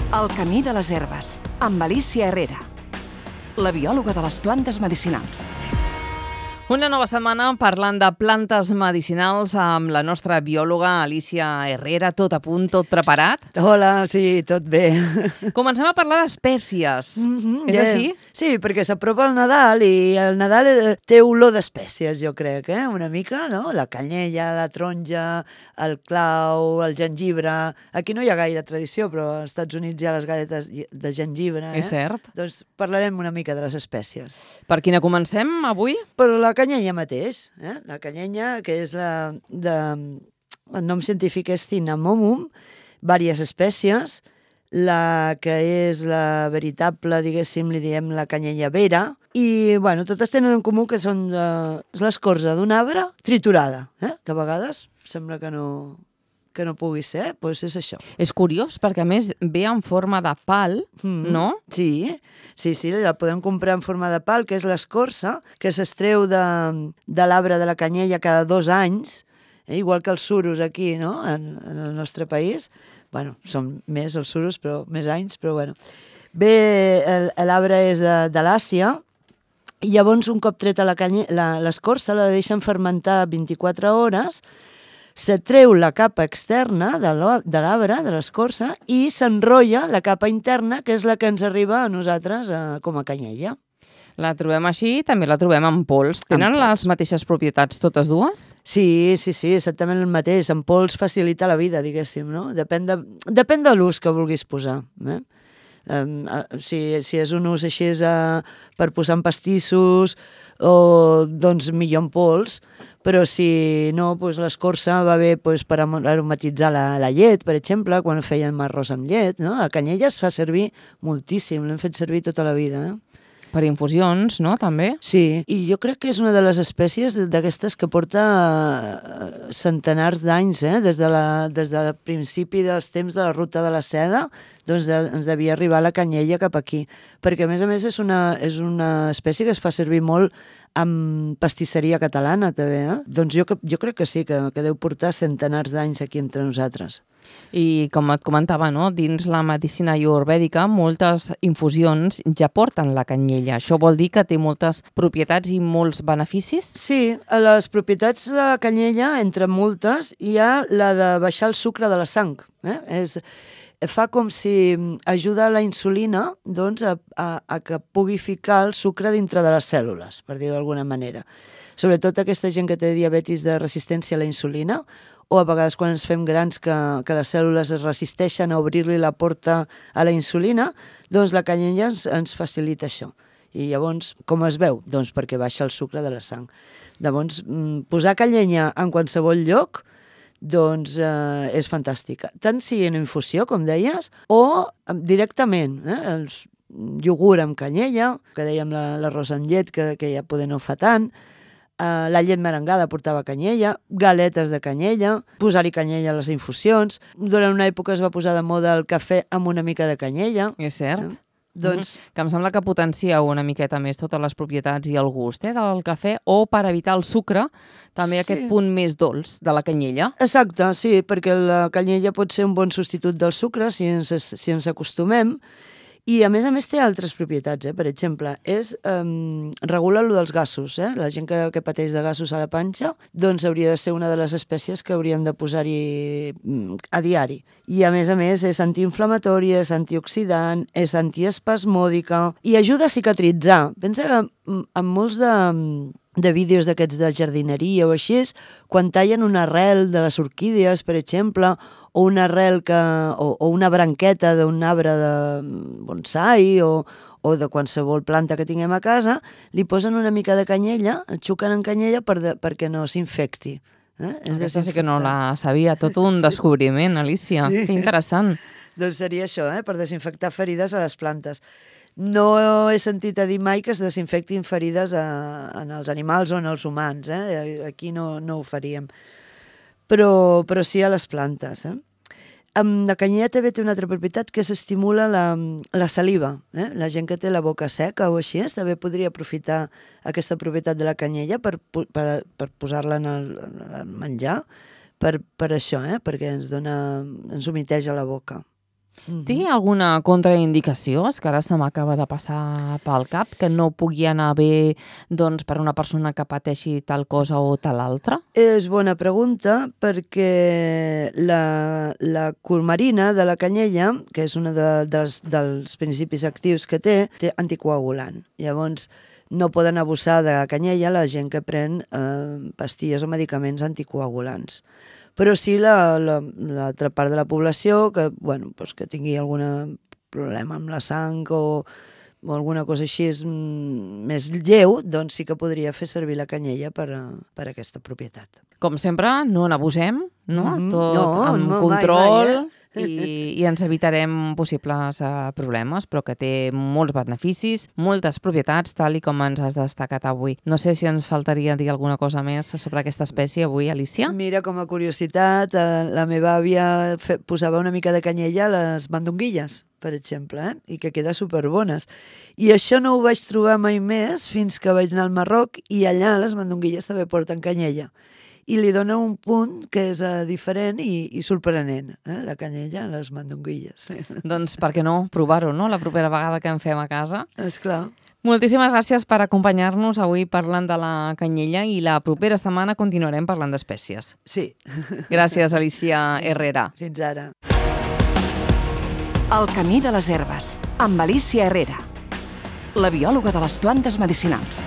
El camí de les herbes, amb Alicia Herrera, la biòloga de les plantes medicinals. Una nova setmana parlant de plantes medicinals amb la nostra biòloga Alicia Herrera. Tot a punt, tot preparat? Hola, sí, tot bé. Comencem a parlar d'espècies. És així? Sí, perquè s'apropa el Nadal i el Nadal té olor d'espècies, jo crec, una mica, no? La canyella, la taronja, el clau, el gengibre... Aquí no hi ha gaire tradició, però als Estats Units hi ha les galletes de gengibre. És cert. Doncs parlarem una mica de les espècies. Per quina comencem avui? Per la canyella mateix, la canyella, que és el nom científic és Cinnamomum, diverses espècies. La que és la veritable, diguéssim, li diem la canyella vera, i, bueno, totes tenen en comú que són l'escorça d'un arbre triturada, que a vegades sembla que no pugui ser, doncs és això. És curiós, perquè a més ve en forma de pal, no? Sí, la podem comprar en forma de pal, que és l'escorça, que s'estreu de l'arbre de la canyella cada 2 anys, igual que els suros aquí, no?, en el nostre país. Bueno, són més els suros, però més anys, però bueno. Bé, l'arbre és de l'Àsia, i llavors un cop treta l'escorça la deixen fermentar 24 hores, se treu la capa externa de l'arbre, de l'escorça, i s'enrotlla la capa interna, que és la que ens arriba a nosaltres com a canyella. La trobem així, també la trobem en pols. Tenen les mateixes propietats totes dues? Sí, exactament el mateix. En pols facilita la vida, diguéssim, no? Depèn de l'ús que vulguis posar. Si és un ús així per posar en pastissos, doncs millor en pols, però si no, l'escorça va bé per aromatitzar la llet, per exemple, quan fèiem arròs amb llet, no? La canyella es fa servir moltíssim, l'hem fet servir tota la vida, Per infusions, no?, també? Sí, i jo crec que és una de les espècies d'aquestes que porta centenars d'anys, des del principi dels temps de la ruta de la seda, doncs ens devia arribar la canyella cap aquí, perquè a més és una espècie que es fa servir molt amb pastisseria catalana, també, Doncs jo crec que sí, que deu portar centenars d'anys aquí entre nosaltres. I com et comentava, no?, dins la medicina ayurvèdica moltes infusions ja porten la canyella. Això vol dir que té moltes propietats i molts beneficis? Sí, a les propietats de la canyella, entre moltes, hi ha la de baixar el sucre de la sang. Fa com si ajuda la insulina doncs, a que pugui ficar el sucre dintre de les cèl·lules, per dir-ho d'alguna manera. Sobretot aquesta gent que té diabetis de resistència a la insulina, o a vegades quan ens fem grans que les cèl·lules es resisteixen a obrir-li la porta a la insulina, doncs la canyella ens facilita això. I llavors, com es veu? Doncs perquè baixa el sucre de la sang. Llavors, posar canyella en qualsevol lloc doncs és fantàstica. Tant si en infusió, com deies, o directament, els iogurt amb canyella, que dèiem l'arròs amb llet, que ja poder no fa tant, la llet merengada portava canyella, galetes de canyella, posar-hi canyella a les infusions. Durant una època es va posar de moda el cafè amb una mica de canyella. És cert. Doncs... Que em sembla que potencia una miqueta més totes les propietats i el gust del cafè, o per evitar el sucre, també aquest punt més dolç de la canyella. Exacte, sí, perquè la canyella pot ser un bon substitut del sucre si ens acostumem, i a més té altres propietats, per exemple, regula allò dels gasos, la gent que pateix de gasos a la panxa, doncs hauria de ser una de les espècies que hauríem de posar-hi a diari. I a més és antiinflamatòria, és antioxidant, és antiespasmòdica i ajuda a cicatritzar. Pensa que en molts de vídeos d'aquests de jardineria o així, quan tallen una arrel de les orquídees, per exemple, o una arrel o una branqueta d'un arbre de bonsai o de qualsevol planta que tinguem a casa, li posen una mica de canyella, el xuquen en canyella perquè no s'infecti. Aquesta sí que no la sabia, tot un descobriment, Alicia. Sí. Que interessant. Doncs seria això, per desinfectar ferides a les plantes. No he sentit a dir mai que es desinfectin ferides en els animals o en els humans. Aquí no ho faríem. Però sí a les plantes. La canyella també té una altra propietat, que s'estimula la saliva. La gent que té la boca seca o així també podria aprofitar aquesta propietat de la canyella per posar-la en el menjar, per això, perquè ens humiteja la boca. Té alguna contraindicació? És que ara se m'acaba de passar pel cap que no pugui anar bé doncs, per una persona que pateixi tal cosa o tal altra? És bona pregunta perquè la curmarina de la canyella, que és un dels principis actius que té anticoagulant. Llavors, no poden abusar de la canyella la gent que pren pastilles o medicaments anticoagulants. Però sí l'altra part de la població que, bueno, doncs que tingui algun problema amb la sang o alguna cosa així més lleu, doncs sí que podria fer servir la canyella per aquesta propietat. Com sempre, no n'abusem, no? Tot No, amb mai, control mai, i ens evitarem possibles problemes, però que té molts beneficis, moltes propietats, tal i com ens has destacat avui. No sé si ens faltaria dir alguna cosa més sobre aquesta espècie avui, Alicia. Mira, com a curiositat, la meva àvia posava una mica de canyella a les mandonguilles, per exemple, i que queda superbones. I això no ho vaig trobar mai més fins que vaig anar al Marroc i allà les mandonguilles també porten canyella. I li dona un punt que és diferent i sorprenent, la canyella a les mandonguilles. Doncs per què no provar-ho, no? La propera vegada que en fem a casa. Esclar. Moltíssimes gràcies per acompanyar-nos avui parlant de la canyella i la propera setmana continuarem parlant d'espècies. Sí. Gràcies, Alicia Herrera. Fins ara. El camí de les herbes, amb Alicia Herrera, la biòloga de les plantes medicinals.